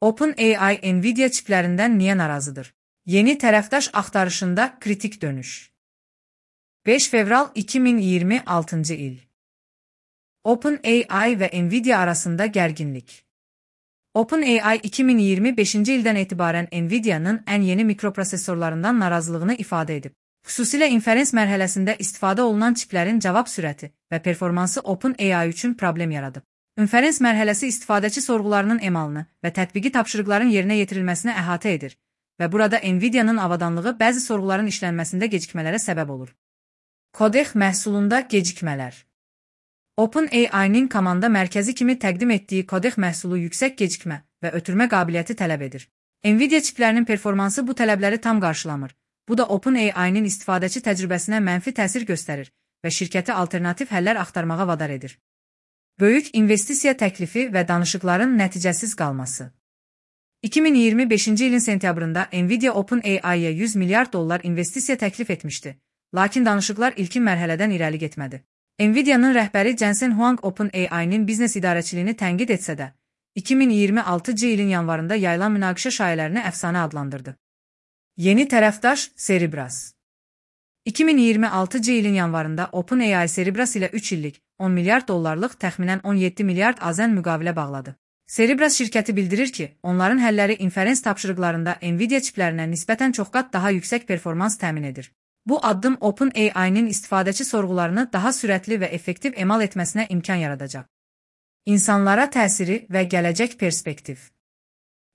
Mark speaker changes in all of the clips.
Speaker 1: OpenAI Nvidia çiplərindən niyə narazıdır? Yeni tərəfdaş axtarışında kritik dönüş. 5 fevral 2026 il. OpenAI və Nvidia arasında gərginlik. OpenAI 2025-ci ildən etibarən Nvidia'nın ən yeni mikroprosesorlarından narazılığını ifadə edib. Xüsusilə inferens mərhələsində istifadə olunan çiplərin cavab sürəti və performansı OpenAI üçün problem yaradıb. İnferens mərhələsi istifadəçi sorğularının emalını və tətbiqi tapşırıqların yerinə yetirilməsini əhatə edir və burada Nvidia'nın avadanlığı bəzi sorğuların işlənməsində gecikmələrə səbəb olur. Codex məhsulunda gecikmələr. OpenAI-nin komanda mərkəzi kimi təqdim etdiyi Codex məhsulu yüksək gecikmə və ötürmə qabiliyyəti tələb edir. Nvidia çiplərinin performansı bu tələbləri tam qarşılamır. Bu da OpenAI-nin istifadəçi təcrübəsinə mənfi təsir göstərir və şirkəti alternativ həllər axtarmağa vadar edir. Böyük investisiya təklifi və danışıqların nəticəsiz qalması. 2025-ci ilin sentyabrında Nvidia OpenAI-yə 100 milyard dollar investisiya təklif etmişdi, lakin danışıqlar ilkin mərhələdən irəli getmədi. Nvidia'nın rəhbəri Jensen Huang OpenAI-nin biznes idarəçiliyini tənqid etsə də, 2026-cı ilin yanvarında yayılan münaqişə şayələrini əfsanə adlandırdı. Yeni tərəfdaş Cerebras. 2026-cı ilin yanvarında OpenAI Cerebras ilə 3 illik 10 milyard dollarlıq təxminən 17 milyard AZN müqavilə bağladı. Cerebras şirkəti bildirir ki, onların həlləri inferens tapşırıqlarında Nvidia çiplərinə nisbətən çox qat daha yüksək performans təmin edir. Bu addım OpenAI-nin istifadəçi sorğularını daha sürətli və effektiv emal etməsinə imkan yaradacaq. İnsanlara təsiri və gələcək perspektiv.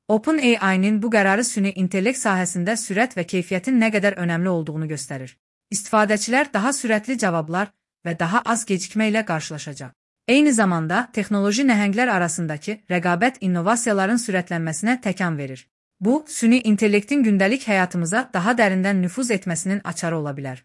Speaker 1: OpenAI-nin bu qərarı süni intellekt sahəsində sürət və keyfiyyətin nə qədər önəmli olduğunu göstərir. İstifadəçilər daha sürətli cavablar və daha az gecikmə ilə qarşılaşacaq. Eyni zamanda, texnoloji nəhənglər arasındakı rəqabət innovasiyaların sürətlənməsinə təkan verir. Bu, süni intellektin gündəlik həyatımıza daha dərindən nüfuz etməsinin açarı ola bilər.